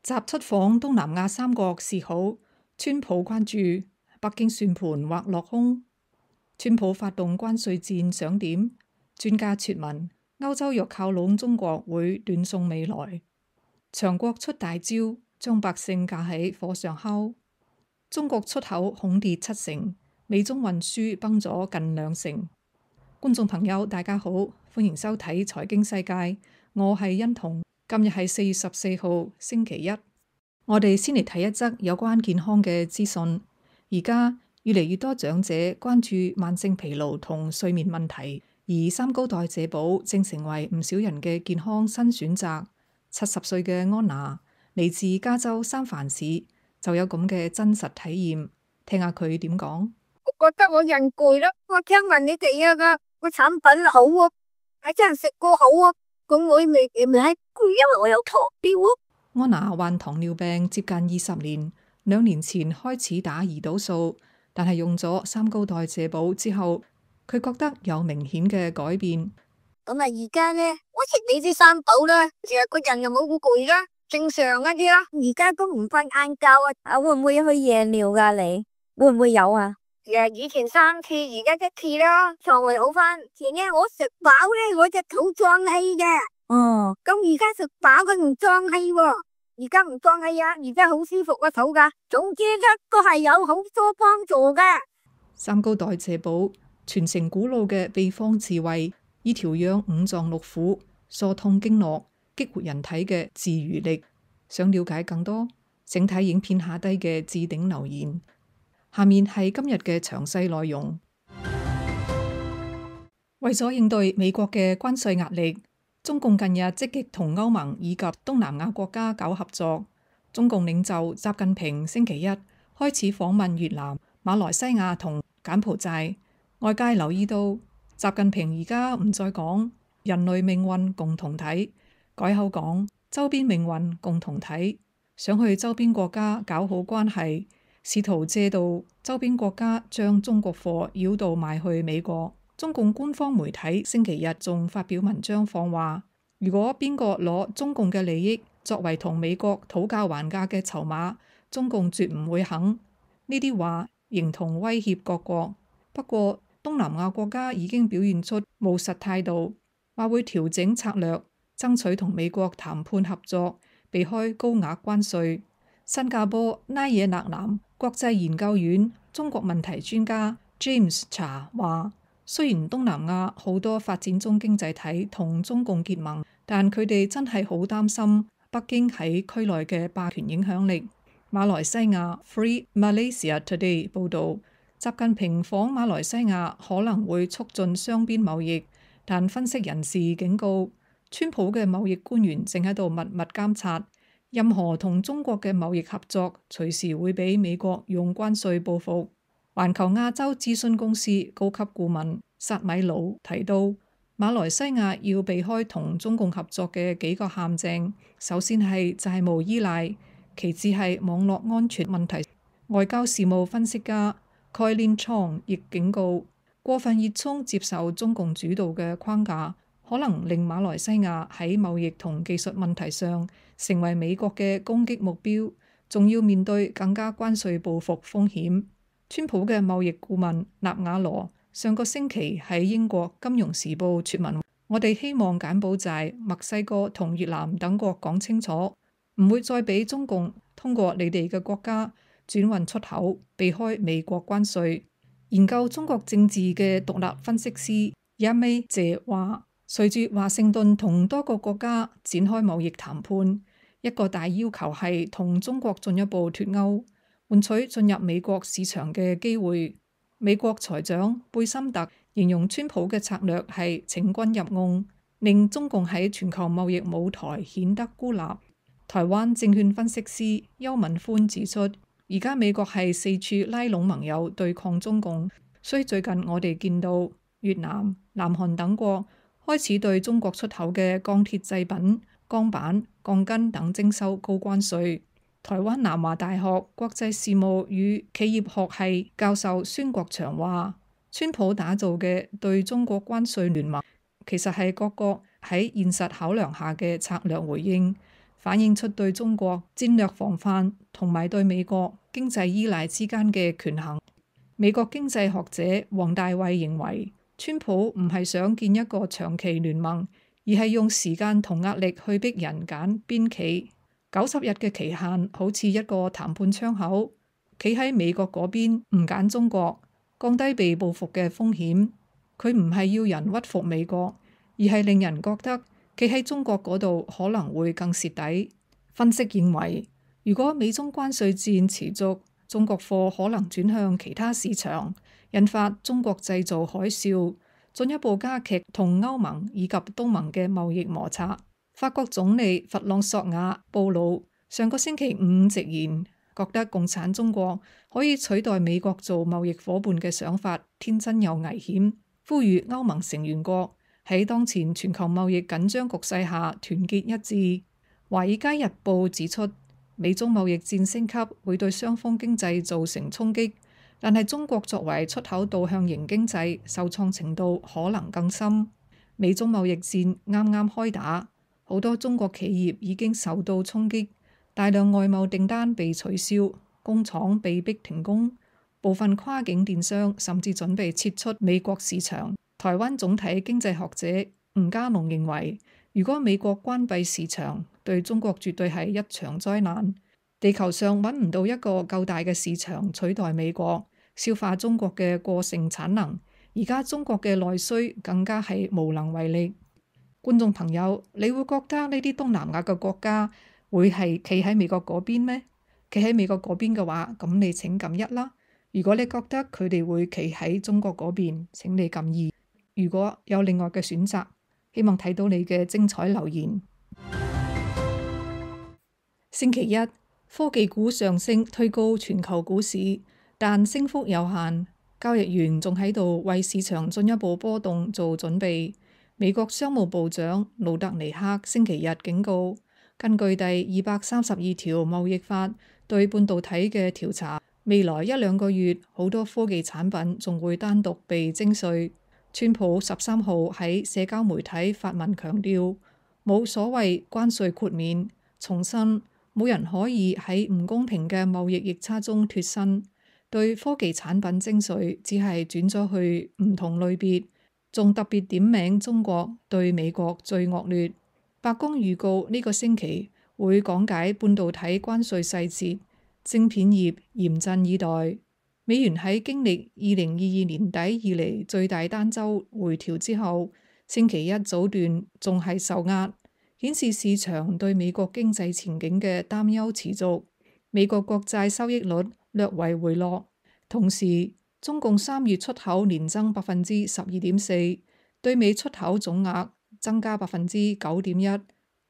習出訪東南亞三國是好，川普關注北京算盤或落空。川普發動關稅戰想點？專家傳聞歐洲若靠攏中國會斷送未來。強國出大招，將百姓架喺火上烤。中國出口恐跌7成，美中運輸崩咗近2成。觀眾朋友大家好，歡迎收睇財經世界，我係欣彤。今日係4月14號星期一，我哋先嚟睇一則有關健康嘅資訊。而家越嚟越多長者關注慢性疲勞同睡眠問題，而三高代謝寶正成為唔少人嘅健康新選擇。70歲嘅安娜嚟自加州三藩市，就有咁嘅真實體驗，聽下佢點講。我覺得我人攰啦，我聽聞你哋個產品好啊，係真係食過好啊。咁我未係攰，因為我有糖尿啊。安娜患糖尿病接近20年，2年前開始打胰島素，但係用咗三高代謝寶之後，佢覺得有明顯嘅改變。咁啊，而家呢，我食你啲三寶啦，成日個人又冇咁攰啦，正常一啲啦。而家都唔瞓晏覺啊，會唔會去夜尿噶？你會唔會有啊？以前3次，而家1次啦，腸胃好翻。前呢我食飽咧，我隻肚脹氣嘅。哦，咁而家食飽佢唔脹氣喎，而家唔脹氣啊，而家好舒服個肚噶。總之都係有好多幫助噶。三高代謝寶傳承古老嘅秘方智慧，以調養五臟六腑、疏通經絡、激活人體嘅自癒力。想了解更多，請睇影片下低嘅置頂留言。下面係今日嘅詳細內容。為咗應對美國嘅關稅壓力，中共近日積極同歐盟以及東南亞國家搞合作。中共領袖習近平星期一開始訪問越南、馬來西亞同柬埔寨。外界留意到，習近平而家唔再講人類命運共同體，改口講周邊命運共同體，想去周邊國家搞好關係，試圖借道周邊國家將中國貨繞道賣去美國。中共官方媒體星期日仲發表文章放話，如果邊個攞中共嘅利益作為同美國討價還價嘅籌碼，中共絕唔會肯。呢啲話形同威脅各國。不過東南亞國家已經表現出務實態度，話會調整策略，爭取同美國談判合作，避開高額關稅。新加坡拉惹勒南國際研究院中國問題專家 James 查話，雖然東南亞好多發展中經濟體同中共結盟，但佢哋真係好擔心北京喺區內嘅霸權影響力。馬來西亞 Free Malaysia Today 報導，習近平訪馬來西亞可能會促進雙邊貿易，但分析人士警告，川普嘅貿易官員正喺度密密監察，任何同中國嘅貿易合作隨時會俾美國用關稅報復。環球亞洲諮詢公司高級顧問薩米魯提到，馬來西亞要避開同中共合作嘅幾個陷阱，首先係債務依賴，其次係網絡安全問題。外交事務分析家蓋連倉亦警告，過分熱衷接受中共主導嘅框架，可能令馬來西亞喺貿易同技術問題上成為美國嘅攻擊目標，仲要面對更加關稅報復風險。川普嘅貿易顧問納瓦羅上個星期喺英國金融時報撰文，我哋希望柬埔寨、墨西哥同越南等國講清楚，唔會再俾中共通過你哋嘅國家轉運出口，避開美國關稅。研究中國政治嘅獨立分析師一美謝話，隨住華盛頓同多個國家展開貿易談判，一個大要求係同中國進一步脫鈎，換取進入美國市場嘅機會。美國財長貝森特形容川普嘅策略係請君入甕，令中共喺全球貿易舞台顯得孤立。台灣證券分析師邱文寬指出，而家美國係四處拉攏盟友對抗中共，所以最近我哋見到越南、南韓等國開始對中國出口嘅鋼鐵製品、鋼板、鋼筋等徵收高關稅。台灣南華大學國際事務與企業學系教授孫國祥話，川普打造嘅對中國關稅聯盟，其實係各國喺現實考量下嘅策略回應，反映出對中國戰略防範同埋對美國經濟依賴之間嘅權衡。美國經濟學者黃大衛認為，川普唔係想建一個長期聯盟，而係用時間同壓力去逼人揀邊企。90日嘅期限好似一個談判窗口，企喺美國嗰邊唔揀中國，降低被報復嘅風險。佢唔係要人屈服美國，而係令人覺得企喺中國嗰度可能會更蝕底。分析認為，如果美中關稅戰持續，中國貨可能轉向其他市場，引發中國製造海嘯，進一步加劇同歐盟以及東盟嘅貿易摩擦。法國總理弗朗索瓦布魯上個星期五直言，覺得共產中國可以取代美國做貿易夥伴嘅想法天真又危險，呼籲歐盟成員國喺當前全球貿易緊張局勢下團結一致。華爾街日報指出，美中貿易戰升級會對雙方經濟造成衝擊，但係中國作為出口導向型經濟，受創程度可能更深。美中貿易戰啱啱開打，好多中國企業已經受到衝擊，大量外貿訂單被取消，工廠被逼停工，部分跨境電商甚至準備撤出美國市場。台灣總體經濟學者吳家龍認為，如果美國關閉市場，對中國絕對係一場災難。地球上揾唔到一個夠大嘅市場取代美國，消化中國嘅過剩產能。而家中國嘅內需更加係無能為力。觀眾朋友，你會覺得呢啲東南亞嘅國家會係企喺美國嗰邊咩？企喺美國嗰邊嘅話，咁你請撳1啦。如果你覺得佢哋會企喺中國嗰邊，請你撳2。如果有另外嘅選擇，希望睇到你嘅精彩留言。星期一，科技股上升推高全球股市，但升幅有限。交易員仲喺度為市場進一步波動做準備。美國商務部長魯特尼克星期日警告，根據第232條貿易法對半導體嘅調查，未來1-2個月好多科技產品仲會單獨被徵稅。川普13號喺社交媒體發文強調，冇所謂關稅豁免，重申冇人可以喺唔公平嘅貿易逆差中脫身。對科技產品徵稅只係轉咗去唔同類別，仲特別點名中國對美國最惡劣。白宮預告呢個星期會講解半導體關稅細節，晶片業嚴陣以待。美元喺經歷2022年底以嚟最大單週回調之後，星期一早段仲係受壓，顯示市場對美國經濟前景嘅擔憂持續。美國國債收益率略為回落，同時中共3月出口年增12.4%，對美出口總額增加9.1%，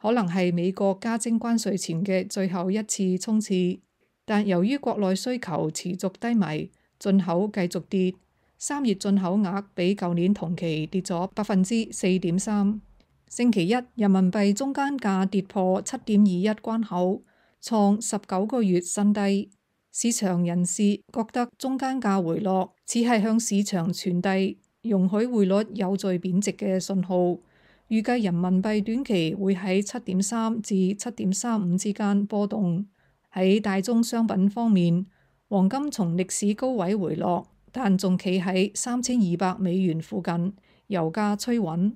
可能係美國加徵關稅前嘅最後一次衝刺。但由於國內需求持續低迷，進口繼續跌。3月進口額比舊年同期跌咗4.3%。星期一人民幣中間價跌破7.21關口，創19個月新低。市場人士覺得中間價回落，只係向市場傳遞容許匯率有序貶值嘅信號。預計人民幣短期會喺7.3至7.35之間波動。喺大宗商品方面，黃金從歷史高位回落，但仲企喺$3200附近，油價趨穩。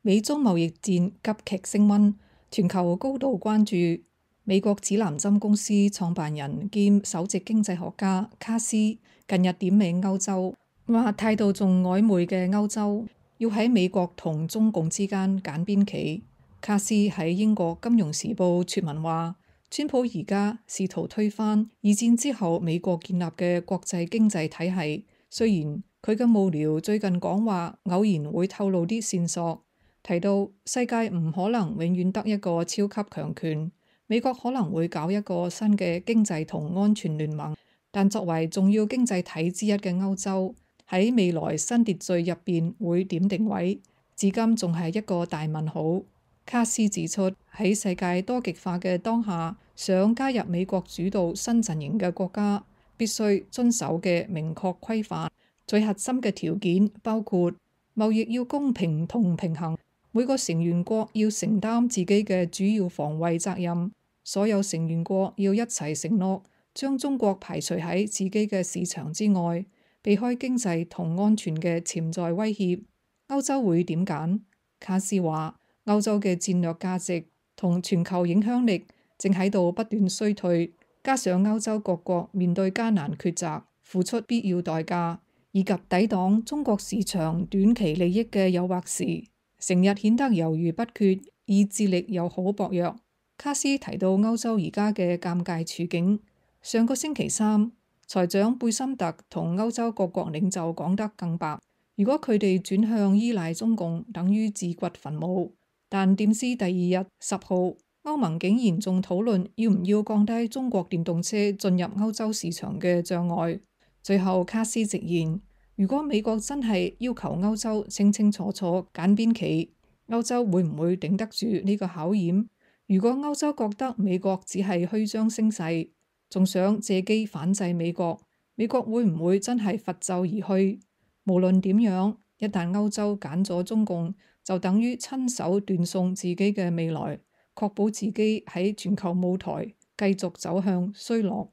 美中貿易戰急劇升溫，全球高度關注。美國指南針公司創辦人兼首席經濟學家卡斯近日點名歐洲，話態度仲曖昧嘅歐洲要喺美國同中共之間揀邊企。卡斯喺英國金融時報撰文話，川普而家試圖推翻二戰之後美國建立嘅國際經濟體系。雖然佢嘅幕僚最近講話偶然會透露啲線索，提到世界唔可能永遠得一個超級強權，美國可能會搞一個新嘅經濟同安全聯盟，但作為重要經濟體之一嘅歐洲喺未來新秩序入邊會點定位，至今仲係一個大問號。卡斯指出，喺世界多極化嘅當下，想加入美國主導新陣營嘅國家必須遵守嘅明確規範，最核心嘅條件包括貿易要公平同平衡，每個成員國要承擔自己嘅主要防衛責任，所有成員國要一齊承諾將中國排除喺自己嘅市場之外，避開經濟同安全嘅潛在威脅。歐洲會點揀？卡斯話：歐洲嘅戰略價值同全球影響力正喺度不斷衰退，加上歐洲各國面對艱難抉擇，付出必要代價，以及抵擋中國市場短期利益嘅誘惑時，成日顯得猶豫不決，意志力又好薄弱。卡斯提到歐洲而家嘅尷尬處境。上個星期三，財長貝森特同歐洲各國領袖講得更白，如果佢哋轉向依賴中共，等於自掘墳墓。但點知第二日10號，歐盟竟然仲討論要唔要降低中國電動車進入歐洲市場嘅障礙。最後卡斯直言，如果美國真係要求歐洲清清楚楚揀邊企，歐洲會唔會頂得住呢個考驗？如果歐洲覺得美國只係虛張聲勢，仲想借機反制美國，美國會唔會真係拂袖而去？無論點樣，一旦歐洲揀咗中共，就等於親手斷送自己嘅未來，確保自己喺全球舞台繼續走向衰落。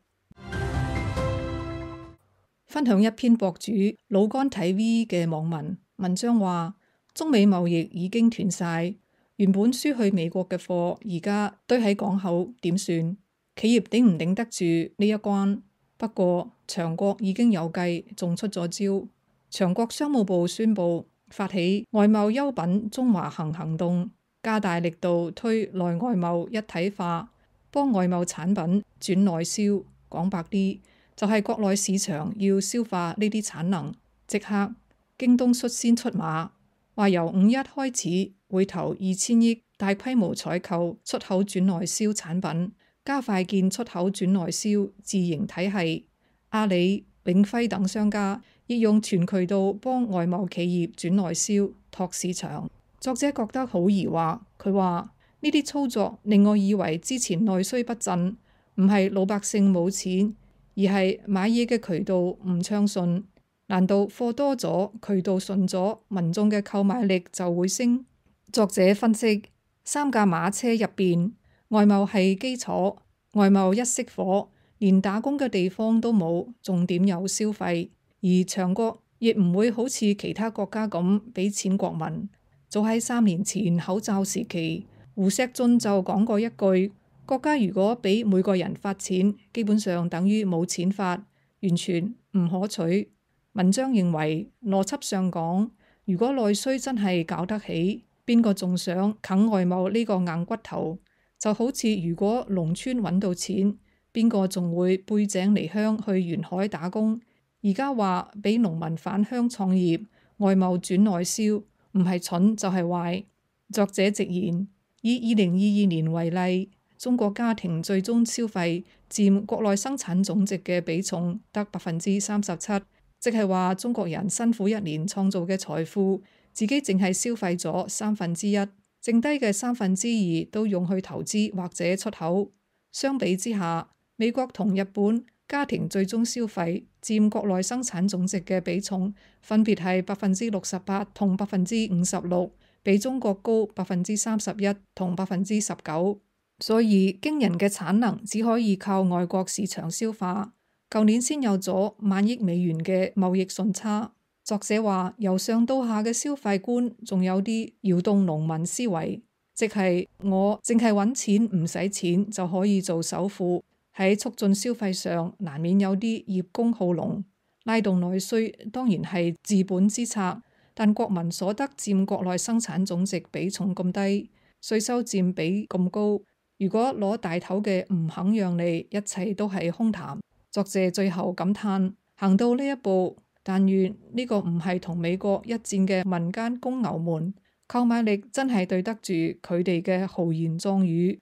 分享一篇博主老乾睇 V 嘅網文章話，中美貿易已經斷晒，原本輸去美國嘅貨而家堆喺港口，點算？企業頂唔頂得住呢一關？不過長國已經有計，仲出咗招。長國商務部宣布發起外貿優品中華行行動，加大力度推內外貿一體化，幫外貿產品轉內銷。講白啲，就係國內市場要消化呢啲產能。即刻京東率先出馬，話由5·1開始會投2000億大規模採購出口轉內銷產品，加快建出口轉內銷自營體系。阿里、永輝等商家亦用全渠道幫外貿企業轉內銷拓市場。作者覺得好疑惑，佢話呢啲操作令我以為之前內需不振唔係老百姓冇錢，而係買嘢嘅渠道唔暢順。難道貨多咗，渠道順咗，民眾嘅購買力就會升？作者分析，3架馬車入邊，外貿係基礎，外貿一熄火，連打工嘅地方都冇，重點有消費。而長國亦唔會好似其他國家咁俾錢國民。早喺3年前口罩時期，胡錫進就講過一句：國家如果俾每個人發錢，基本上等於冇錢發，完全唔可取。文章認為，邏輯上講，如果內需真係搞得起，邊個仲想啃外貿呢個硬骨頭？就好似如果農村揾到錢，邊個仲會背井離鄉去沿海打工？而家話俾農民返鄉創業，外貿轉內銷，唔係蠢就係壞。作者直言，以2022年為例，中國家庭最終消費佔國內生產總值嘅比重得37%，即係話中國人辛苦一年創造嘅財富，自己淨係消費咗1/3，剩低嘅2/3都用去投資或者出口。相比之下，美國同日本家庭最終消費佔國內生產總值嘅比重分別係68%同56%，比中國高31%同19%。所以驚人嘅產能只可以靠外國市場消化。舊年先有咗萬億美元嘅貿易順差。作者話，由上到下嘅消費觀仲有啲搖動農民思維，即係我淨係揾錢唔使錢就可以做首富。喺促進消費上，難免有啲葉公好龍，拉動內需當然係治本之策。但國民所得佔國內生產總值比重咁低，稅收佔比咁高，如果攞大頭嘅唔肯讓利，一切都係空談。作者最後感嘆，行到呢一步，但願呢個唔係同美國一戰嘅民間公牛們，購買力真係對得住佢哋嘅豪言壯語。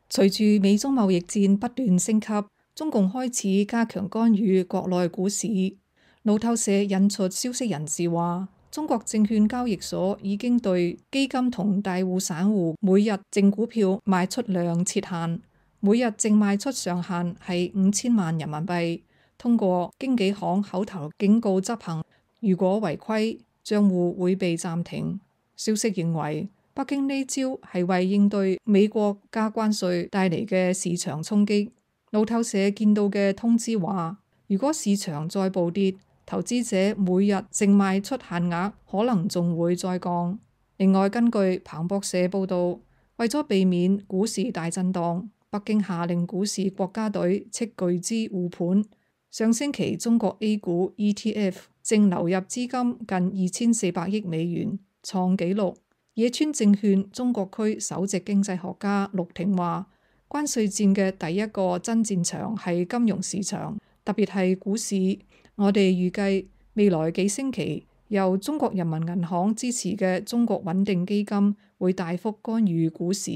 隨住美中貿易戰不斷升級，中共開始加強干預國內股市。路透社引述消息人士話，中國證券交易所已經對基金同大戶散戶每日淨股票賣出量設限，每日淨賣出上限係5000萬人民幣，通過經紀行口頭警告執行。如果違規，帳戶會被暫停。消息認為，北京呢招係為應對美國加關稅帶嚟嘅市場衝擊。路透社見到嘅通知話，如果市場再暴跌，投資者每日淨賣出限額可能仲會再降。另外，根據彭博社報導，為咗避免股市大震盪，北京下令股市國家隊斥巨資護盤。上星期中國 A 股 ETF 淨流入資金近2400億美元，創紀錄。野村證券中國區首席經濟學家陸挺話，關稅戰嘅第一個真戰場係金融市場，特別係股市。我哋預計未來幾星期由中國人民銀行支持嘅中國穩定基金會大幅干預股市。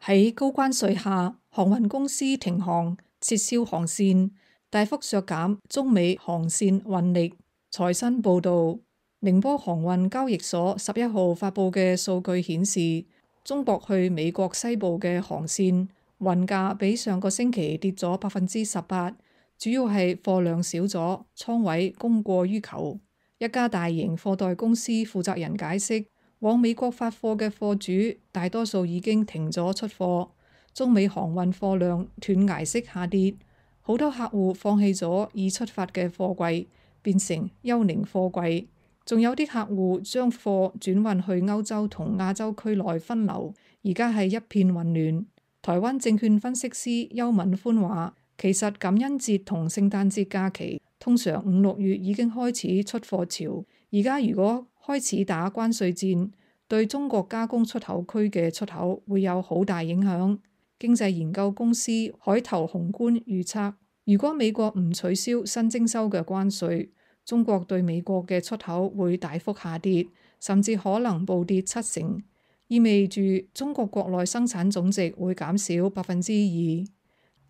喺高關稅下，航運公司停航、撤銷航線，大幅削減中美航線運力。財新報導，寧波航運交易所11號發布嘅數據顯示，中國去美國西部嘅航線運價比上個星期跌咗18%，主要係貨量少咗，倉位供過於求。一家大型貨代公司負責人解釋，往美國發貨嘅貨主大多數已經停咗出貨，中美航運貨量斷崖式下跌，好多客戶放棄咗已出發嘅貨櫃，變成幽靈貨櫃。仲有啲客戶將貨轉運去歐洲同亞洲區內分流，而家係一片混亂。台灣證券分析師邱敏寬話，其實感恩節同聖誕節假期通常5、6月已經開始出貨潮，而家如果開始打關稅戰，對中國加工出口區嘅出口會有好大影響。經濟研究公司海投宏觀預測，如果美國唔取消新徵收嘅關稅，中國對美國嘅出口會大幅下跌，甚至可能暴跌70%，意味住中國國內生產總值會減少2%。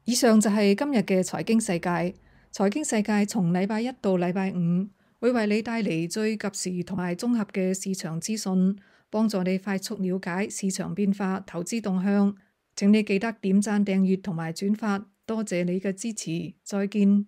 以上就係今日嘅財經世界。財經世界從禮拜一到禮拜五會為你帶嚟最及時同埋綜合嘅市場資訊，幫助你快速了解市場變化、投資動向。請你記得點讚、訂閱同埋轉發，多謝你嘅支持。再見。